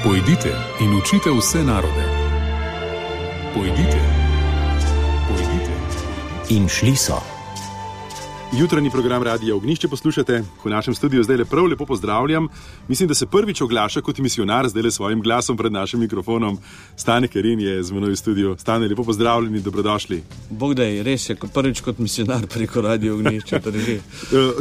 Pojdite in učite vse narode. Pojdite. In šli so. Jutranji program Radia Ognjišče poslušate. V našem studiu zdaj prav lepo pozdravljam. Mislim, da se prvič oglaša kot misionar zdaj svojim glasom pred našim mikrofonom. Stane Kerin je z menoj v studiu. Stane, lepo pozdravljeni, dobrodošli. Bog da je, res je, prvič kot misionar preko Radia Ognjišče.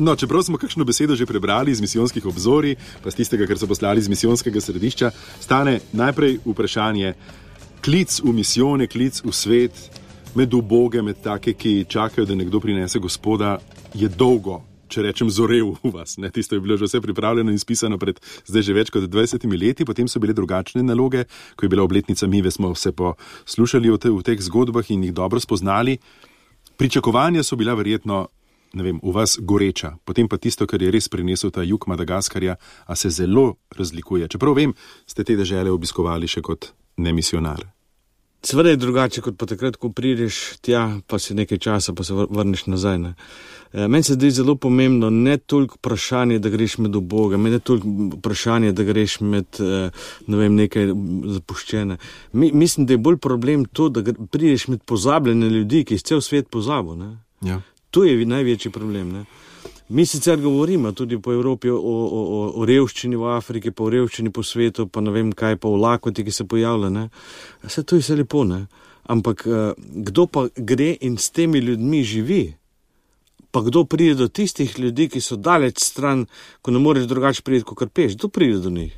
No, čeprav smo kakšno besedo že prebrali iz misijonskih obzorij, pa z tistega, kar so poslali iz misijonskega središča, Stane, najprej vprašanje. Klic v misijone, klic v svet, med uboge, med take, ki čakajo, da nekdo prinese Gospoda, je dolgo, če rečem, zorel v vas. Ne? Tisto je bilo že vse pripravljeno in spisano pred zdaj že več kot 20 leti, potem so bile drugačne naloge, ko je bila obletnica Mive, smo se poslušali v teh zgodbah in jih dobro spoznali. Pričakovanja so bila verjetno, ne vem, v vas goreča, potem pa tisto, kar je res prinesel ta jug Madagaskarja, a se zelo razlikuje. Čeprav vem, ste te dežele obiskovali še kot nemisionar. Seveda je drugače, kot pa takrat, ko prideš tja, pa si nekaj časa, pa se vrneš nazaj. Ne? Meni se zdi zelo pomembno ne toliko vprašanje, da greš med uboge, ne toliko vprašanje, da greš med, ne vem, nekaj zapuščene. Mislim, da je bolj problem to, da prideš med pozabljene ljudi, ki je cel svet pozabil. Ne? Ja. To je največji problem. Ne? Mi sicer govorimo tudi po Evropi o revščini v Afriki, pa o revščini po svetu, pa ne vem kaj, pa o lakoti, ki se pojavlja. Ne? Vse to je vse lepo, ne? Ampak kdo pa gre in s temi ljudmi živi? Pa kdo pride do tistih ljudi, ki so daleč stran, ko ne moreš drugače priti, kot kar peš? Kdo pride do njih?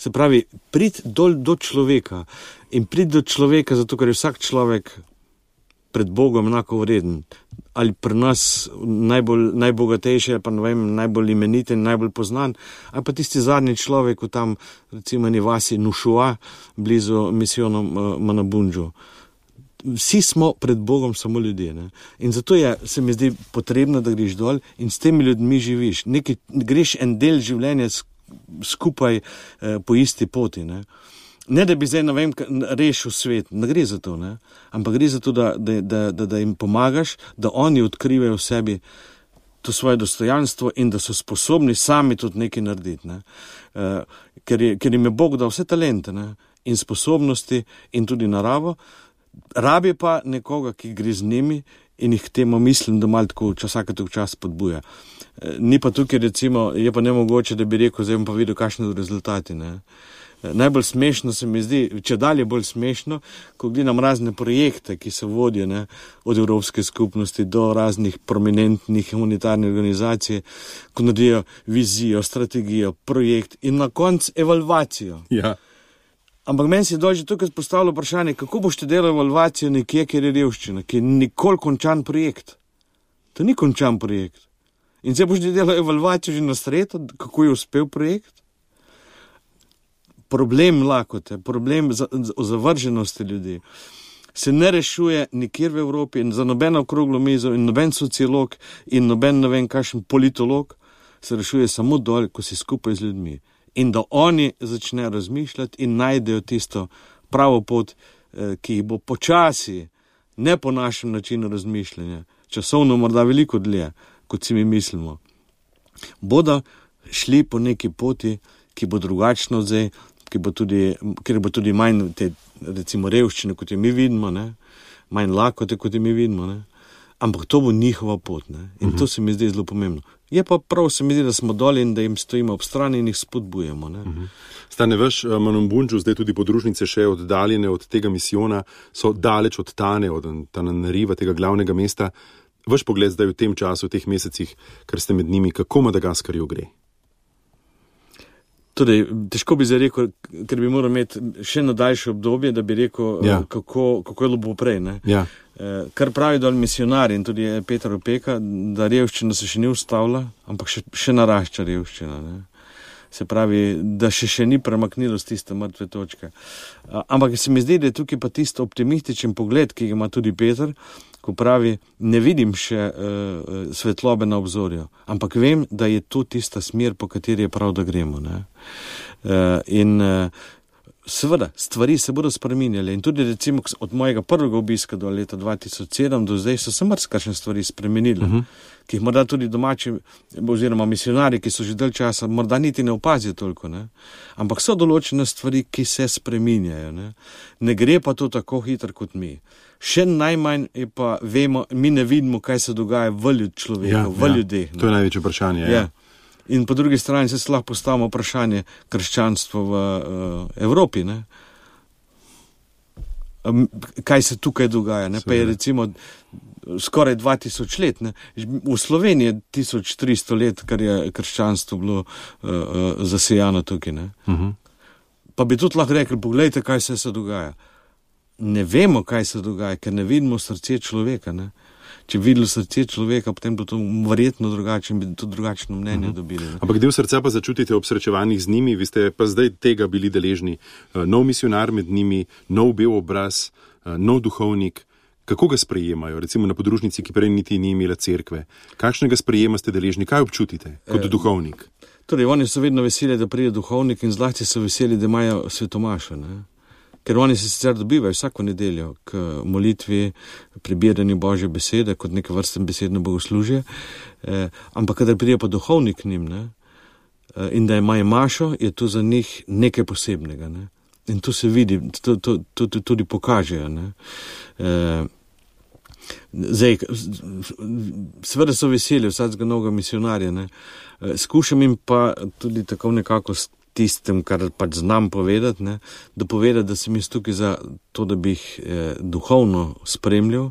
Se pravi, pridi do človeka. In pridi do človeka, zato ker je vsak človek pred Bogom enako vreden. Ali pri nas najbogatejši, ali pa ne vem, najbolj imeniten, najbolj poznan, ali pa tisti zadnji človek v tam, recimo, vasi Nušua, blizu misijonom Manabundžu. Vsi smo pred Bogom samo ljudje. Ne? In zato se mi zdi potrebno, da greš dol in s temi ljudmi živiš. Greš en del življenja skupaj po isti poti. Ne, da bi zdaj, ne vem, rešil svet, ne gre za to, ne? Ampak gre za to, da jim pomagaš, da oni odkrivajo v sebi to svoje dostojanstvo in da so sposobni sami tudi nekaj narediti. Ne? Ker jim je Bog dal vse talente, ne? In sposobnosti in tudi naravo, rabi pa nekoga, ki gre z njimi in jih k temu mislim, da malo tako vsake čas podbuja. Ni pa tukaj, recimo, je pa nemogoče, da bi rekel, zdaj bom pa videl, kakšne rezultati, ne? Najbolj smešno se mi zdi, če dalje bolj smešno, ko gledam razne projekte, ki se vodijo, ne, od Evropske skupnosti do raznih prominentnih humanitarnih organizacij, ko naredijo vizijo, strategijo, projekt in na koncu evalvacijo. Ja. Ampak meni se je že tukaj postavilo vprašanje, kako boš delal evalvacijo nekje, kjer je revščina, ki je nikoli končan projekt. To ni končan projekt. In zdaj boš delal evalvacijo že na sredo, kako je uspel projekt. Problem lakote, problem zavrženosti ljudi se ne rešuje nikjer v Evropi in za nobeno okroglo mizo in noben sociolog in noben ne vem kakšen politolog se rešuje samo dol, ko si skupaj z ljudmi. In da oni začnejo razmišljati in najdejo tisto pravo pot, ki jih bo počasi, ne po našem načinu razmišljanja, časovno morda veliko dlje, kot si mi mislimo, bodo šli po neki poti, ki bo drugačna od zdaj, ker bo tudi manj te, recimo, revščine, kot jo mi vidimo, ne? Manj lakote, kot jo mi vidimo, ne? Ampak to bo njihova pot, ne? In to se mi zdi zelo pomembno. Je pa prav, se mi zdi, da smo doli in da jim stojimo ob strani in jih spodbujemo, ne? Stane, veš, Manabundžu, zdaj tudi podružnice še oddaljene od tega misijona, so daleč od Tane, od Tananariva, tega glavnega mesta. Vaš pogled zdaj v tem času, v teh mesecih, ker ste med njimi, kako Madagaskarju gre? Torej, težko bi zdaj rekel, ker bi moral imeti še daljše obdobje, da bi rekel, kako je bilo prej. Ne? Ja. Kar pravi dol misionari in tudi Peter Opeka, da revščina se še ni ustavila, ampak še narašča revščina. Ne? Se pravi, da še ni premaknilo z tiste mrtve točke. Ampak se mi zdi, da je tukaj pa tisto optimističen pogled, ki ga ima tudi Peter, ko pravi, ne vidim še svetlobe na obzorju, ampak vem, da je to tista smer, po kateri je prav, da gremo. Ne? In Seveda, stvari se bodo spreminjale in tudi recimo od mojega prvega obiska do leta 2007 do zdaj so se marsikakšne stvari spremenile, ki jih morda tudi domači oziroma misionari, ki so že dalj časa, morda niti ne opazijo toliko, ne? Ampak so določene stvari, ki se spreminjajo. Ne gre pa to tako hitro kot mi. Še najmanj je pa vemo, mi ne vidimo, kaj se dogaja v človeku, v ljudeh. To je največje vprašanje. Ja. In po drugi strani se lahko postavimo vprašanje krščanstva v Evropi. Ne? Kaj se tukaj dogaja? Ne? Pa je recimo skoraj 2000 let. Ne? V Sloveniji je 1300 let, kar je krščanstvo bilo zasejano tukaj. Ne? Pa bi tudi lahko rekli, poglejte, kaj se dogaja. Ne vemo, kaj se dogaja, ker ne vidimo srce človeka. Ne? Če bi videli srce človeka, potem bi to verjetno drugače in bi to drugačno mnenje dobili. Ne? Ampak del srca pa začutite ob srečevanjih z njimi, vi ste pa zdaj tega bili deležni. Nov misionar med njimi, nov bel obraz, nov duhovnik. Kako ga sprejemajo? Recimo na podružnici, ki prej niti ni imela cerkve. Kakšnega sprejema ste deležni? Kaj občutite kot duhovnik? Torej, oni so vedno veseli, da pride duhovnik in zlasti so veseli, da imajo svetomašo, ne? Ker oni se sicer dobivajo vsako nedeljo k molitvi, prebiranju Božje besede, kot neke vrste besedno bogoslužje, ampak kadar pride pa duhovnik k njim, ne, in da imajo mašo, je to za njih nekaj posebnega. Ne. In to se vidi, to tudi pokažejo. Ne. Zdaj, seveda so veseli vsakega novega misionarja, ne. Skušam jim pa tudi tako nekako tistem, kar pač znam povedati, ne, da povedati, da sem jaz tukaj za to, da bi jih duhovno spremljal,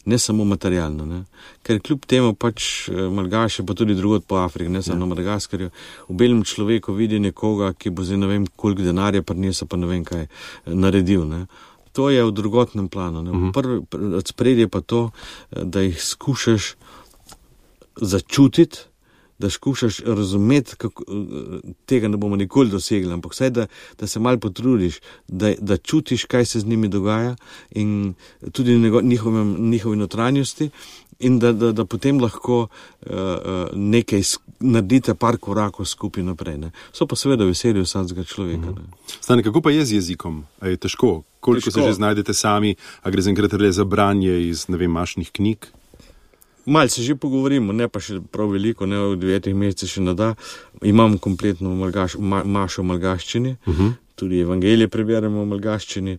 ne samo materialno. Ne. Ker kljub temu pač Malgaše, pa tudi drugod po Afriki, ne samo na Madagaskarju, v belem človeku vidi nekoga, ki bo zdaj ne vem koliko denarja prinesel, pa ne vem kaj naredil. Ne. To je v drugotnem planu. Ne. Spredje pa to, da jih skušaš začutiti, da skušaš razumeti, tega ne bomo nikoli dosegli, ampak vsaj, da se malo potrudiš, da čutiš, kaj se z njimi dogaja in tudi njihovi notranjosti in da potem lahko nekaj naredite par korakov skupaj naprej. Ne. So pa seveda veseli vsakega človeka. Ne. Stane, kako pa je z jezikom? A je težko? Koliko se že znajdete sami? A gre zaenkrat le za branje iz, ne vem, mašnih knjig? Mal se že pogovorimo, ne pa še prav veliko, ne v 9 mesecih še ne da. Imam kompletno mašo v malgaščini, tudi evangelije preberemo v malgaščini.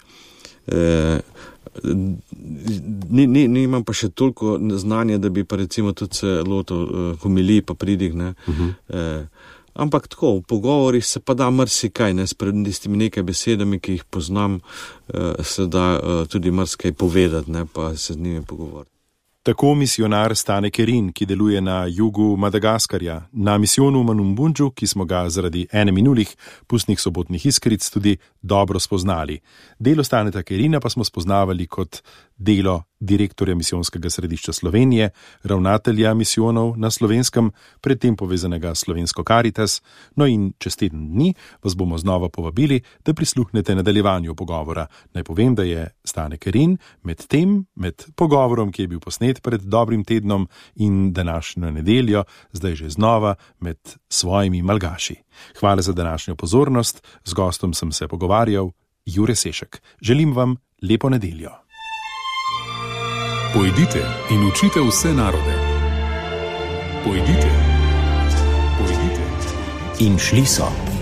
Nimam pa še toliko znanja, da bi pa recimo tudi se lotil homilij pa pridig. Ne. Ampak tako, v pogovorih se pa da marsikaj, ne, s tistimi nekaj besedami, ki jih poznam, se da tudi marsikaj povedati, ne, pa se z njimi pogovoriti. Tako misionar Stane Kerin, ki deluje na jugu Madagaskarja, na misijonu Manumbundžu, ki smo ga zaradi ene minulih pustnih sobotnih iskric tudi dobro spoznali. Delo Staneta Kerina pa smo spoznavali kot delo direktorja misijonskega središča Slovenije, ravnatelja misijonov na Slovenskem, predtem povezanega Slovensko Karitas. No in čez teden dni vas bomo znova povabili, da prisluhnete nadaljevanju pogovora. Naj povem, da je Stane Kerin med pogovorom, ki je bil posnet pred dobrim tednom in današnjo nedeljo, zdaj že znova med svojimi malgaši. Hvala za današnjo pozornost, z gostom sem se pogovarjal, Jure Sešek. Želim vam lepo nedeljo. Pojdite in učite vse narode. Pojdite. In šli so.